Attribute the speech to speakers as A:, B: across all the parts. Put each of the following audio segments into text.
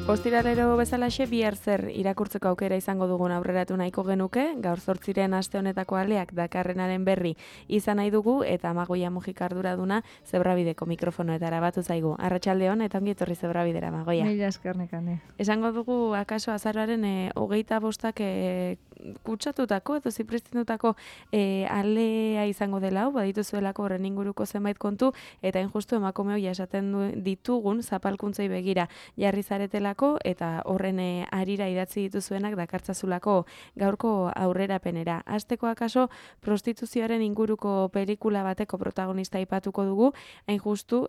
A: Ostiralero bezalaxe bihar zer irakurtzeko aukera izango dugun aurreratu nahiko genuke, gaur 8 aste honetako aleak dakarrenaren berri izan nahi dugu eta Amagoia Mujika arduraduna Zebrabideko mikrofonoetara batu zaigu. Arratsaldeon eta ongi etorri Zebrabidera, Amagoia.
B: Mila esker nekane.
A: Esango dugu akaso azaroaren 25 kutsatutako edo zipriztindutako alea izango dela, badituzuelako horren inguruko zenbait kontu eta injustu emakume hori esaten ditugun zapalkuntzei begira jarri zaretelako eta horren arira idatzi dituzuenak dakartzazulako gaurko aurrerapenera. Hasteko akaso prostituzioaren inguruko pelikula bateko protagonista aipatuko dugu, hain justu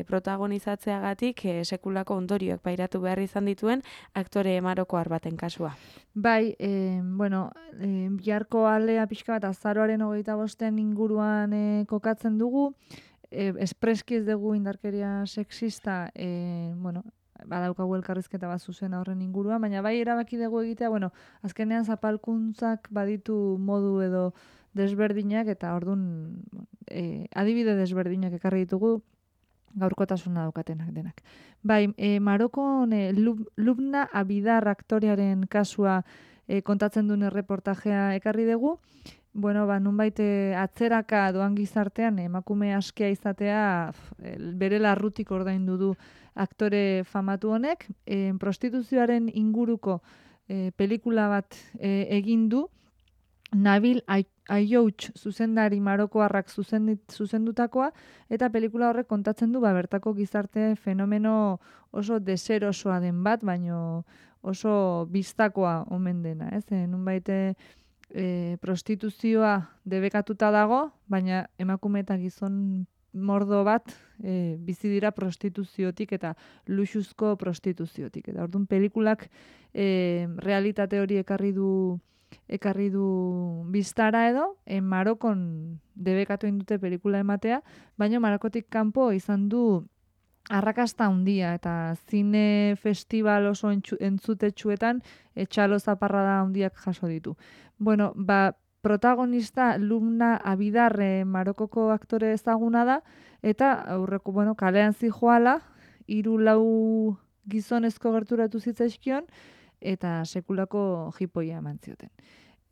A: protagonizatzeagatik sekulako ondorioak pairatu behar izan dituen aktore marokoar baten kasua.
B: Bai, biharko alea pixka bat azaroaren 25 inguruan kokatzen dugu, espreski ez dugu indarkeria sexista, badaukagu elkarrizketa bat zuzena horren inguruan, baina bai erabaki dugu egitea, azkenean zapalkuntzak baditu modu edo desberdinak eta ordun adibide desberdinak ekarri ditugu gaurkotasuna daukatenak denak. Bai, Marokon Lubna Abidar aktorearen kasua kontatzen duen erreportajea ekarri dugu. Nunbait atzeraka doan gizartean emakume askea izatea bere larrutik ordaindu du aktore famatu honek. Prostituzioaren inguruko pelikula bat egin du, Nabil Ayoutch zuzendari marokoarrak zuzendutakoa, eta pelikula horrek kontatzen du bertako gizarte fenomeno oso deserosoa den bat, baino oso bistakoa omen dena. Nunbait prostituzioa debekatuta dago, baina emakume eta gizon mordo bat bizi dira prostituziotik eta luxuzko prostituziotik. Eta orduan pelikulak realitate hori ekarri du biztara edo, Marokon debekatu indute pelikula ematea, baina Marokotik kanpo izan du arrakasta handia eta zine festival oso entzutetsuetan txalo zaparrada handiak jaso ditu. Protagonista Lubna Abidar Marokoko aktore ezaguna da, eta aurreko kalean zijoala, 3-4 gizonezko gerturatu zitzaizkion, eta sekulako jipoia eman zioten.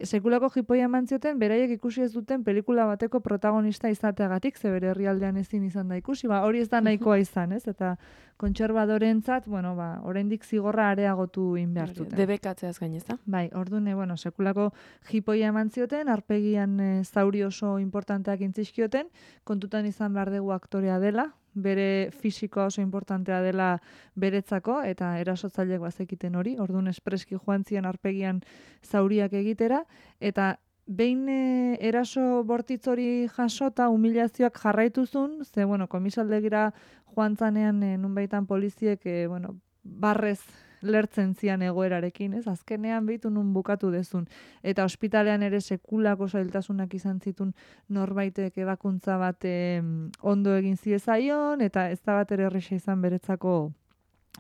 B: Sekulako jipoia eman zioten, beraiek ikusi ez duten pelikula bateko protagonista izateagatik, ze bere herrialdean ezin izan da ikusi, hori ez da nahikoa izan, ez? Eta kontserbadorentzat, oraindik zigorra areagotu egin behar zuten.
A: Debekatzeaz gain, ez da?
B: Bai, orduan, sekulako jipoia eman zioten, aurpegian zauri oso importanteak intzizkioten, kontutan izan behar dugu aktorea dela, bere fisikoa oso importantea dela beretzako, eta erasotzaileak bazekiten hori, orduan espreski joan zian aurpegian zauriak egitera, eta behin eraso bortitz hori jasota humilazioak jarraituzun, ze, komisaldegira joan zanean nunbaitan poliziek, barrez lertzen zian egoerarekin, ez? Azkenean behitu nun bukatu dezun. Eta ospitalean ere sekulako zailtasunak izan zitun norbaitek ebakuntza bat ondo egin ziezaion, eta ez da bat ere erresa izan beretzako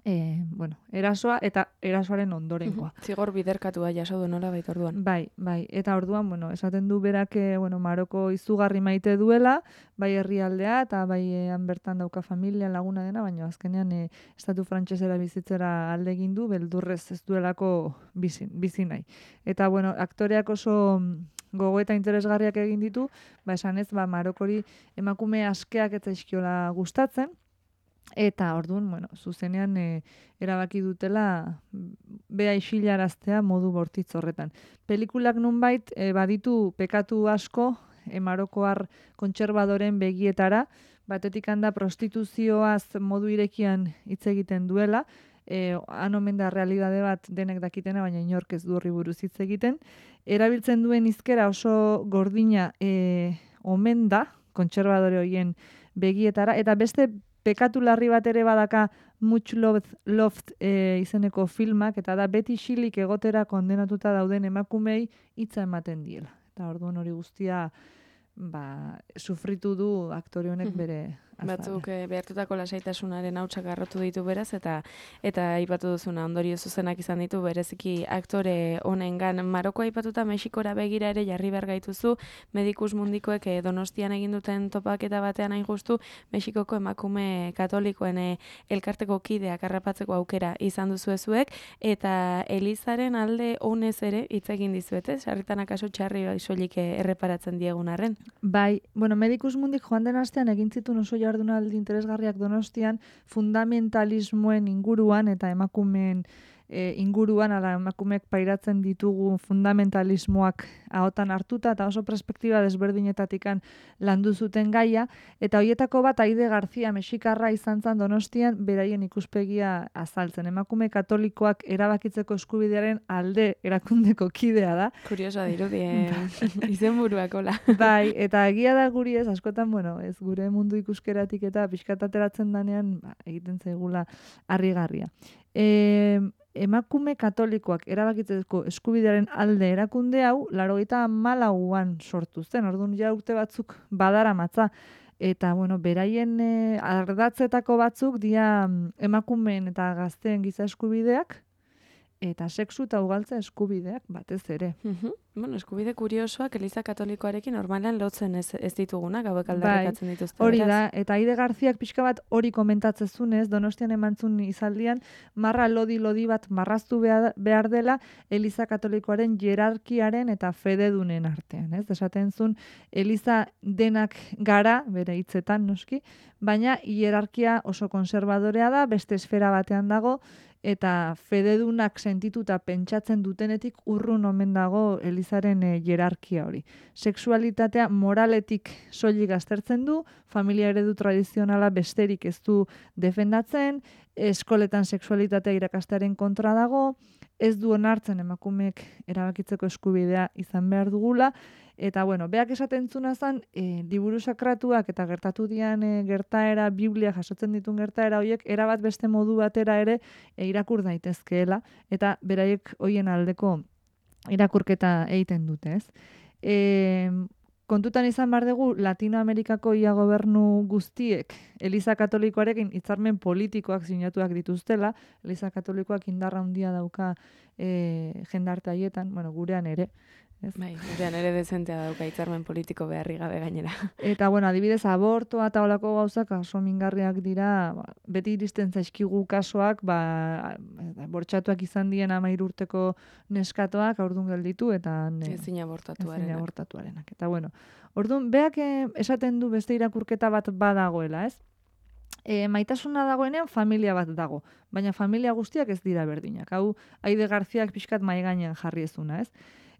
B: erasoa eta erasoaren ondorengoa.
A: Zigor biderkatua jaso du nola baita orduan.
B: Bai, eta orduan, esaten du berak Maroko izugarri maite duela, bai herrialdea eta bai han bertan dauka familia laguna dena, baina azkenean estatu frantsesera bizitzera alde egin du, beldurrez ez duelako bizi nahi. Eta aktoreak oso gogo eta interesgarriak egin ditu, esanez Marokori emakume askeak ez zaizkiola gustatzen. Eta orduan, zuzenean erabaki dutela bea isilaraztea modu bortitz horretan. Pelikulak nunbait baditu pekatu asko Marokoar kontserbadoren begietara, batetik handa prostituzioaz modu irekian hitz egiten duela, han omen da realidade bat denek dakitena, baina inork ez du horri buruz hitz egiten. Erabiltzen duen hizkera oso gordina omen da kontserbadore horien begietara, eta beste pekatu larri bat ere badaka Much Loved izeneko filmak, eta da beti xilik egotera kondenatuta dauden emakumei hitza ematen diela. Eta orduan hori guztia sufritu du aktore honek bere
A: Batzuk behartutako lasaitasunaren hautsak garrotu ditu beraz, eta aipatu duzuna ondorio zuzenak izan ditu bereziki aktore honengan. Maroko aipatuta Mexikora begira ere jarri behar gaituzu, Medikus Mundikoek Donostian egin duten topaketa batean hain justu, Mexikoko emakume katolikoen elkarteko kideak harrapatzeko aukera izan duzuezuek, eta Elizaren alde honez ere hitz egin dizuete, sarritan akaso txarri soilik erreparatzen diegun arren.
B: Bai, bueno, Medikus Mundik joan den astean egin zituen oso jardunaldi interesgarriak Donostian fundamentalismoen inguruan eta emakumeen inguruan, ala emakumeek pairatzen ditugu fundamentalismoak ahotan hartuta eta oso perspektiba desberdinetatikan landu zuten gaia, eta hoietako bat Aide García Mexikarra izan zen Donostian beraien ikuspegia azaltzen. Emakume katolikoak erabakitzeko eskubidearen alde erakundeko kidea da.
A: Kuriosoa dirudi, izenburuak hola.
B: Bai, eta egia da guri ez, askotan, bueno, ez gure mundu ikuskeratik eta pixkat ateratzen danean egiten zaigula harrigarria. Emakume katolikoak erabakitzeko eskubidearen alde erakunde hau 94an sortu zen. Orduan ja urte batzuk badaramatza. Eta, bueno, beraien ardatzetako batzuk dira emakumeen eta gazteen giza eskubideak, eta sexu eta ugaltza eskubideak batez ere.
A: Bueno, eskubide kuriosoak Eliza Katolikoarekin normalan lotzen ez ditugunak, hauek aldarrikatzen dituzte.
B: Hori da, eta Aide Garziak pixka bat hori komentatzezunez, Donostian emantzun izaldian, marra lodi bat marraztu behar dela Eliza Katolikoaren hierarkiaren eta fededunen artean. Ez? Esaten zuen, Eliza denak gara, bere hitzetan noski, baina hierarkia oso konservadorea da, beste esfera batean dago, eta fededunak sentituta pentsatzen dutenetik urrun omen dago Elizaren hierarkia hori. Sexualitatea moraletik soilik aztertzen du, familia eredu tradizionala besterik ez du defendatzen, eskoletan sexualitatea irakastearen kontra dago, ez du onartzen emakumeek erabakitzeko eskubidea izan behar dugula, eta bueno, beak esaten zuna zen, liburu sakratuak eta gertatu dian gertaera, Biblia jasotzen ditun gertaera horiek, erabat beste modu batera ere irakur daitezkeela, eta beraiek hoien aldeko irakurketa egiten dute, ez? Kontutan izan behar dugu, Latinoamerikako ia gobernu guztiek Eliza Katolikoarekin hitzarmen politikoak sinatuak dituztela, Eliza Katolikoak indarra handia dauka jendarte haietan, bueno, gurean ere. Ez?
A: Bai, gurean ere dezentea dauka hitzarmen politiko beharri gabe gainera.
B: Eta, bueno, adibidez, abortoa eta olako gauzak oso mingarriak dira, beti iristen zaizkigu kasoak, bortxatuak izan dien 13 urteko neskatoak aurdun gelditu, eta
A: ezin abortatuarenak.
B: Eta, bueno, orduan, beak esaten du beste irakurketa bat badagoela, ez? Maitasuna dagoenean familia bat dago, baina familia guztiak ez dira berdinak. Hau, Aide Garziak pixkat mahai gainean jarri ezuna, ez?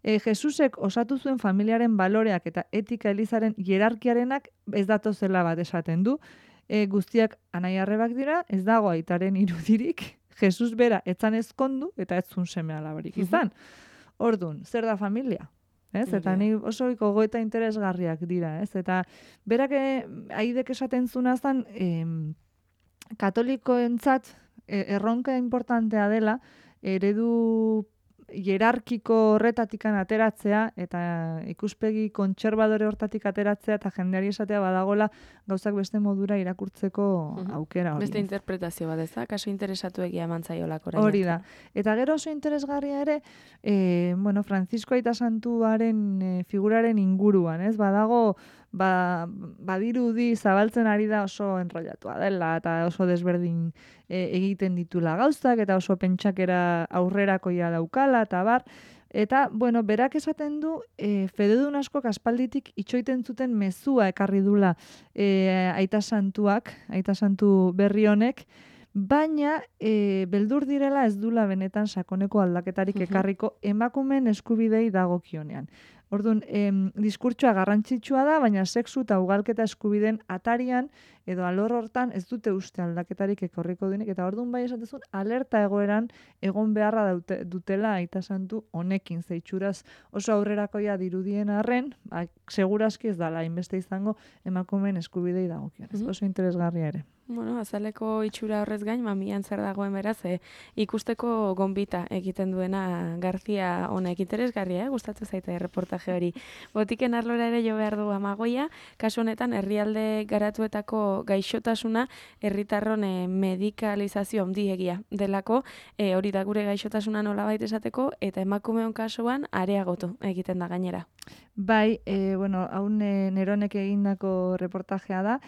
B: Jesusek osatu zuen familiaren baloreak eta etika Elizaren hierarkiarenak ez datozela bat esaten du. Guztiak anai-arrebak dira, ez dago aitaren irudirik, Jesus bera etzan ezkondu eta ez zun seme alabarik izan. Orduan, zer da familia? Ez? Eta ni oso gogoeta interesgarriak dira, ez? Eta berak Aidek esaten zuna zen, katolikoentzat erronka importantea dela, eredu hierarkiko horretatikan ateratzea eta ikuspegi kontserbadore hortatik ateratzea eta jendeari esatea badagola gauzak beste modura irakurtzeko aukera hori.
A: Beste interpretazio bat ez da, kaso interesatu egia emantzaiolak orain.
B: Hori da. Eta gero oso interesgarria ere, Francisco Aita Santuaren figuraren inguruan, ez? Badago, badirudi zabaltzen ari da oso enrollatua dela eta oso desberdin egiten ditula gauzak eta oso pentsakera aurrerakoia daukala eta bar. Eta, berak esaten du, fededun askok aspalditik itxoiten zuten mezua ekarri dula Aita Santuak, Aita Santu berri honek, baina beldur direla ez dula benetan sakoneko aldaketarik ekarriko emakumeen eskubidei dagokionean. Orduan, diskurtsoa garrantzitsua da, baina sexu eta ugalketa eskubideen atarian edo alor hortan ez dute uste aldaketarik ekorriko duenik, eta orduan bai esatezun alerta egoeran egon beharra dutela Aita Santu honekin, zeitsuraz oso aurrerakoia dirudien arren, segurazki ez dala, inbeste izango emakumeen eskubidei dagokionez. Oso interesgarria ere.
A: Bueno, azaleko itxura horrez gain, mamian zer dagoen beraz, ikusteko gonbita egiten duena Garzia honek interesgarria, gustatzen zaite reportaje hori. Botiken arlora ere jo behar du Amagoia, kasu honetan herrialde garatuetako gaixotasuna herritarron medikalizazio handiegia delako, hori da gure gaixotasuna nolabait esateko, eta emakumeon kasuan areagotu egiten da gainera.
B: Bai, bueno, hau Neronek egindako reportajea da.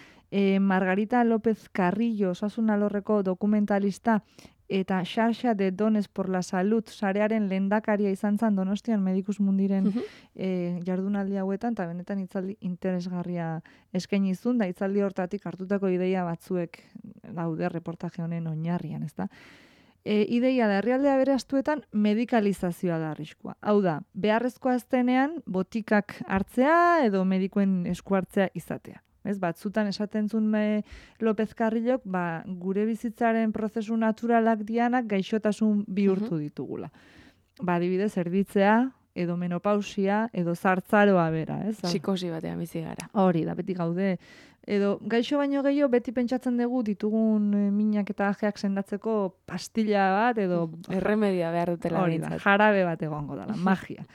B: Margarita López Carrillo, osasun alorreko dokumentalista, eta Xarxa de Dones por la Salud sarearen lehendakaria izan zen Donostian Medicus Mundiren jardunaldi hauetan, eta benetan hitzaldi interesgarria eskaini zuen, da hitzaldi hortatik hartutako ideia batzuek daude reportaje honen oinarrian, ezta? Ideia da, herrialdea beraztuetan medikalizazioa da arriskua. Hau da, beharrezkoa aztenean botikak hartzea edo medikuen esku hartzea izatea. Ez, batzutan esaten zuen López Carrillok, gure bizitzaren prozesu naturalak dianak gaixotasun bihurtu ditugula. Adibidez, erditzea, edo menopausia, edo zartzaroa bera.
A: Psikosi batean bizi gara.
B: Hori da, beti gaude. Edo gaixo baino gehiago beti pentsatzen dugu ditugun minak eta ajeak sendatzeko pastilla bat edo
A: erremedia behar dutela.
B: Hori da, jarabe bat egongo dela, magia.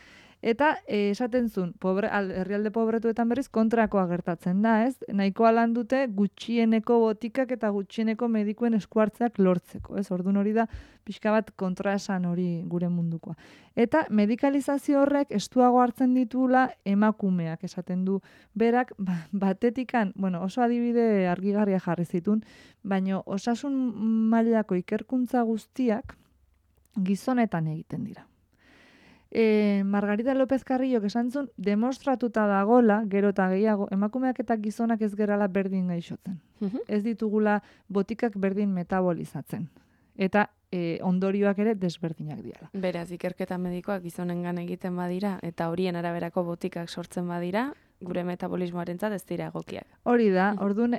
B: Eta esaten zuen, herrialde pobretuetan berriz kontrakoa gertatzen da, ez? Nahikoa lan dute gutxieneko botikak eta gutxieneko medikuen eskuartzeak lortzeko, ez? Orduan hori da pixka bat kontraesan hori gure mundukoa. Eta medikalizazio horrek estuago hartzen ditula emakumeak, esaten du berak, batetikan, bueno, oso adibide argigarria jarri zitun, baina osasun mailako ikerkuntza guztiak gizonetan egiten dira. Margarita López Carrillok esan zuen, demostratuta dagola, gero eta gehiago, emakumeak eta gizonak ez gerala berdin gaixotzen. Ez ditugula botikak berdin metabolizatzen. Eta ondorioak ere desberdinak diala.
A: Beraz, ikerketa medikoak gizonengan egiten badira, eta horien araberako botikak sortzen badira, gure metabolismoarentzat ez dira egokiak.
B: Hori da, orduan,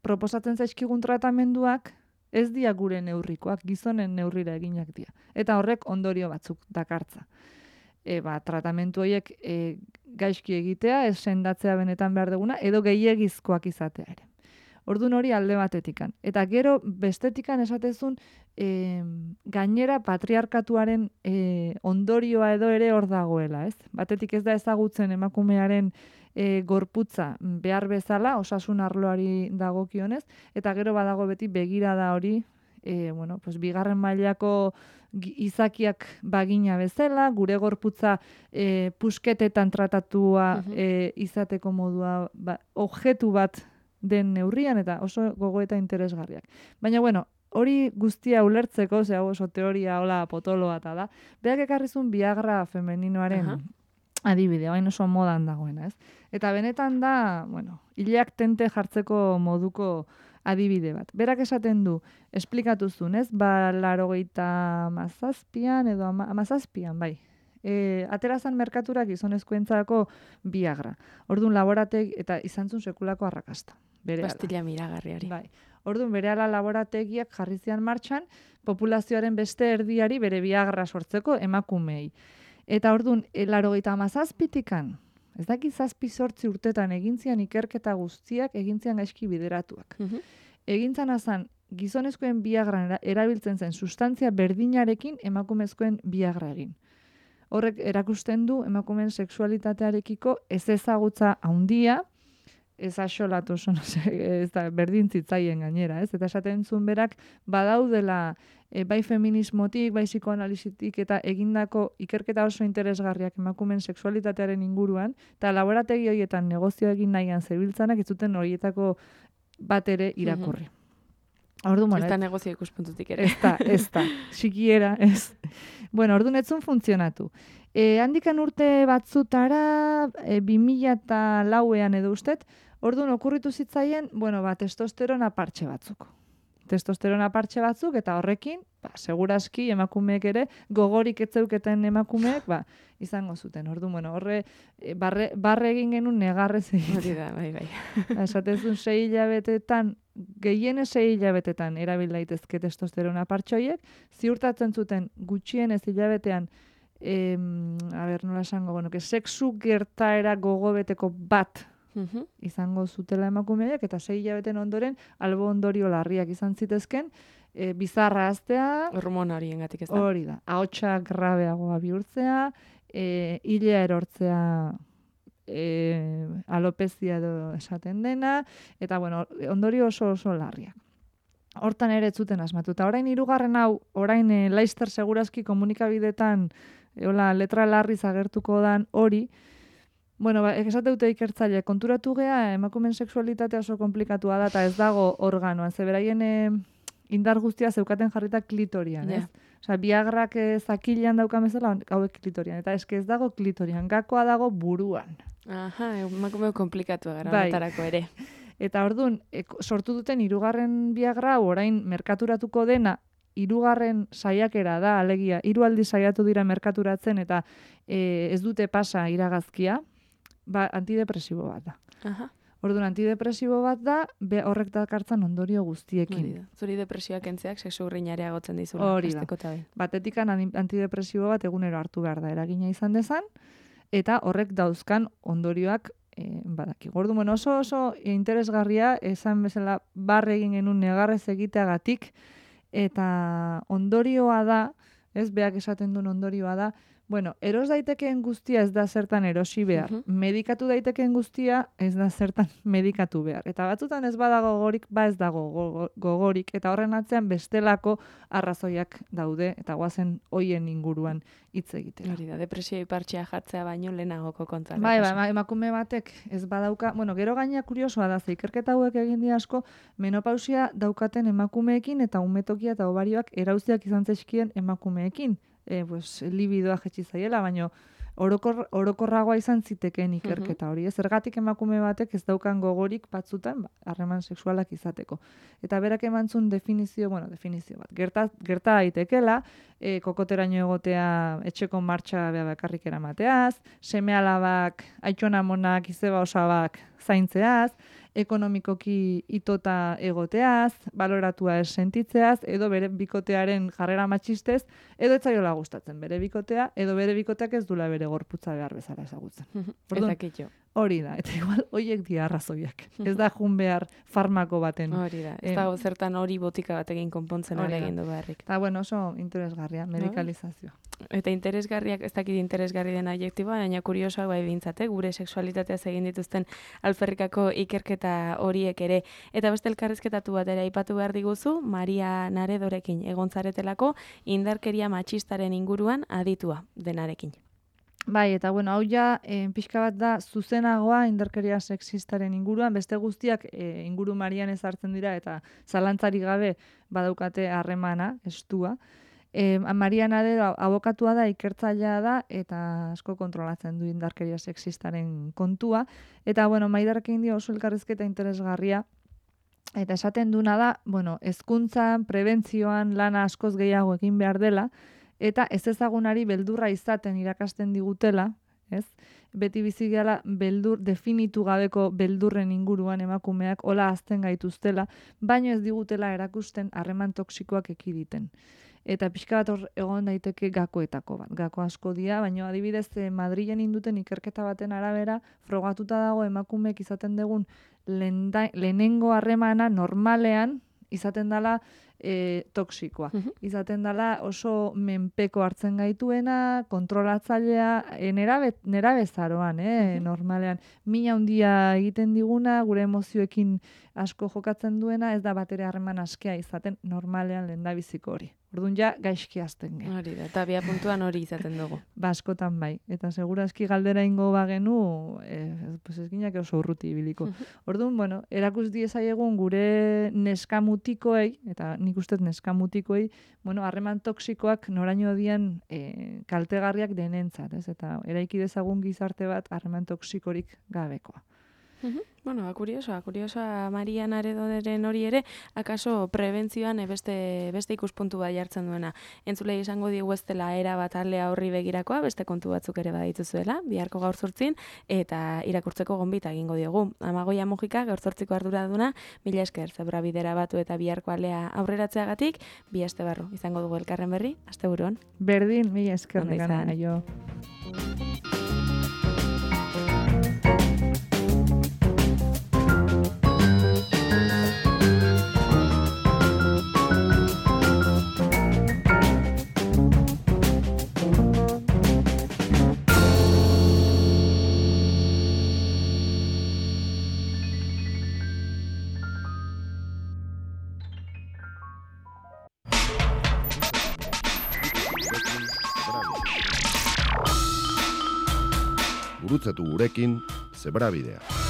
B: proposatzen zaizkigun tratamenduak, ez dia gure neurrikoak, gizonen neurrira eginak dira. Eta horrek ondorio batzuk dakartza. Tratamentu horiek gaizki egitea, ez sendatzea benetan behar duguna, edo gehiegizkoak izatea ere. Orduan hori alde batetikan. Eta gero bestetikan esatezun, gainera patriarkatuaren ondorioa edo ere hor dagoela, ez? Batetik ez da ezagutzen emakumearen gorputza behar bezala, osasun arloari dagokionez, eta gero badago beti begirada hori, bigarren mailako izakiak bagina bezala, gure gorputza pusketetan tratatua izateko modua objektu bat den neurrian, eta oso gogoeta interesgarriak. Baina, hori guztia ulertzeko, oso teoria hola potolo bat da, berak ekarrizun Viagra femeninoaren adibidea, baina oso modan dagoena, ez? Eta benetan da, hileak tente jartzeko moduko adibide bat. Berak esaten du, esplikatu zuen, ez? 87an edo 17an, bai. Aterazan merkatura gizonezkoentzako Viagra. Orduan laboratek eta izan zuen sekulako arrakasta.
A: Pastilla miragarri hori.
B: Bai. Orduan berehala laborategiak jarri zian martxan, populazioaren beste erdiari bere Viagra sortzeko emakumei. Eta orduan, 87tikan, ez daki 7-8 urtetan egintzian ikerketa guztiak egintzian gaizki bideratuak. Egintzan azan, gizonezkoen Viagra erabiltzen zen sustantzia berdinarekin emakumezkoen Viagra egin. Horrek erakusten du emakumeen sexualitatearekiko ez ezagutza handia, ez axolatu, ez da berdin zitzaien gainera, ez? Eta esaten zuen berak, badaudela bai feminismotik, bai psikoanalizitik eta egindako ikerketa oso interesgarriak emakumeen sexualitatearen inguruan, eta laborategi horietan negozio egin nahian zebiltzanak, ez zuten horietako bat ere irakurri.
A: Ez da negozio ikuspuntutik ere.
B: Ez da, sikiera, ez. Orduan etzun funtzionatu. Handikan urte batzutara, 2004an edo ustet, orduan okurritu zitzaien, testosterona partxe batzuk. Testosterona partxe batzuk, eta horrekin, seguraski emakumeek ere, gogorik etzeuketen emakumeek, izango zuten. Orduan, horre, barre egin genuen negarrez egin.
A: Hori da, bai.
B: Esatezun 6 hilabetetan, gehiene 6 hilabetetan erabil daitezke testosterona partxoiek, ziurtatzen zuten gutxienez hilabetean, nola esango, sexu gertaera gogobeteko bat izango zutela emakumeak, eta 6 hilabeten ondoren albo ondorio larriak izan zitezken, bizarra haztea,
A: hormona horiengatik ez da.
B: Hori da, ahotsa grabeagoa bihurtzea, hilea erortzea, alopezia edo esaten dena, eta bueno, ondorio oso larriak. Hortan ere ez zuten asmatu. Eta orain 3. hau, orain Laster segurazki komunikabidetan letra larriz agertuko dan hori, bueno, esate dute ikertzaile, konturatu gea, emakumeen sexualitatea oso komplikatua da, eta ez dago organoan, ze beraien indar guztia zeukaten jarrita klitorian, ez? Osea, Viagrak zakilean daukan bezala, hauek klitorian, eta eske ez dago klitorian, gakoa dago buruan.
A: Aha, emakume komplikatua gara, notarako ere.
B: Eta orduan, sortu duten 3. Viagra, orain merkaturatuko dena, 3. saiakera da, alegia, 3 aldiz saiatu dira merkaturatzen, eta ez dute pasa iragazkia, antidepresibo bat da.
A: Aha.
B: Orduan, antidepresibo bat da, horrek dakartzan ondorio guztiekin.
A: Zuri depresioak entzeak sexu urrinarea gotzen dizula.
B: Hori da. Batetikan antidepresibo bat egunero hartu behar da, eragina izan dezan, eta horrek dauzkan ondorioak badaki. Orduan, oso interesgarria, esan bezala barre egin genuen negarrez egiteagatik, eta ondorioa da, ez beak esaten duen ondorioa da, bueno, eros daitekeen guztia ez da zertan erosi behar. Medikatu daitekeen guztia ez da zertan medikatu behar. Eta batzutan ez badago gogorik, ez dago gogorik. Eta horren atzean bestelako arrazoiak daude, eta guazen hoien inguruan hitz egitera.
A: Hori da, depresio ipartxea jartzea baino lehenagoko kontra.
B: Bai, emakume batek ez badauka, bueno, gero gaina kuriosoa da, ikerketa hauek egin di asko, menopausia daukaten emakumeekin eta umetokia eta obarioak erauziak izan zaizkien emakumeekin. Libidoa jetxi zaiela, baina orokorragoa izan zitekeen ikerketa hori. Zergatik emakume batek ez daukan gogorik batzutan harreman sexualak izateko. Eta berak emantzun definizio bat. Gerta daitekela, kokoteraino egotea etxeko martxa bakarrik eramateaz, seme-alabak, aitona-amonak, izeba osabak zaintzeaz, ekonomikoki itota egoteaz, baloratua ez sentitzeaz, edo bere bikotearen jarrera matxistez, edo ez zaiola gustatzen bere bikotea, edo bere bikoteak ez dula bere gorputza behar bezala ezagutzen. Hori da, eta igual horiek dira arrazoiak. Ez da jun behar farmako baten.
A: Hori da, ez da zertan hori botika batekin konpontzen egin du beharrik.
B: Eta bueno, oso interesgarria, medikalizazioa.
A: Eta interesgarriak, ez dakit interesgarri den adjektiboa, baina kuriosoak bai bintzate, gure sexualitateaz egin dituzten alferrikako ikerketa horiek ere. Eta beste elkarrizketatu bat ere aipatu behar diguzu, Maria Naredorekin egontzaretelako indarkeria matxistaren inguruan aditua denarekin.
B: Bai, eta bueno, hau ja pixka bat da zuzenagoa indarkeria sexistaren inguruan, beste guztiak inguru marian ezartzen dira eta zalantzari gabe badaukate harremana, estua. Maria Nadero abokatua da, ikertzailea da, eta asko kontrolatzen du indarkeria sexistaren kontua. Eta, bueno, Maiderrekin dio oso elkarrizketa interesgarria, eta esaten duna da, bueno, hezkuntzan, prebentzioan, lana askoz gehiago egin behar dela, eta ez ezagunari beldurra izaten irakasten digutela, ez? Beti bizi gehala definitu gabeko beldurren inguruan emakumeak hola hazten gaituztela, baino ez digutela erakusten harreman toksikoak ekiditen. Eta pixka bat hor egon daiteke gakoetako bat. Gako asko dira, baina adibidez Madrilen induten ikerketa baten arabera frogatuta dago emakumeek izaten dugun lehenengo harremana normalean izaten dela toksikoa. Izaten dela oso menpeko hartzen gaituena, kontrolatzailea, nerabezaroan, normalean. Mina handia egiten diguna, gure emozioekin asko jokatzen duena, ez da batere harreman askea izaten normalean lehendabiziko hori. Orduan ja, gaizki azten gen.
A: Hori da, eta bia puntuan hori izaten dugu.
B: Askotan bai. Eta segurazki galdera ingo bagenu, ez ginak oso urruti ibiliko. Orduan, bueno, erakus diezaiegun gure neskamutikoei, eta nik ustez neskamutikoei, bueno, harreman toksikoak noraino dian kaltegarriak denentzat, ez? Eta eraiki dezagun gizarte bat harreman toksikorik gabekoa.
A: Bueno, kuriosoa Maria Naredoderen hori ere, akaso prebentzioan beste ikuspuntu bat jartzen duena. Entzulei esango digu ez dela era bat aldea horri begirakoa, beste kontu batzuk ere badituzuela, biharko gaur 8 eta irakurtzeko gonbita egingo diogu. Amagoia Mujika, gaur 8ko arduraduna, mila esker, zebra bidera batu eta biharko aldea aurreratzeagatik, bi aste barru izango dugu elkarren berri, asteburuan.
B: Berdin, mila esker negana, aio.
C: gurutzatu gurekin, Zebrabidea.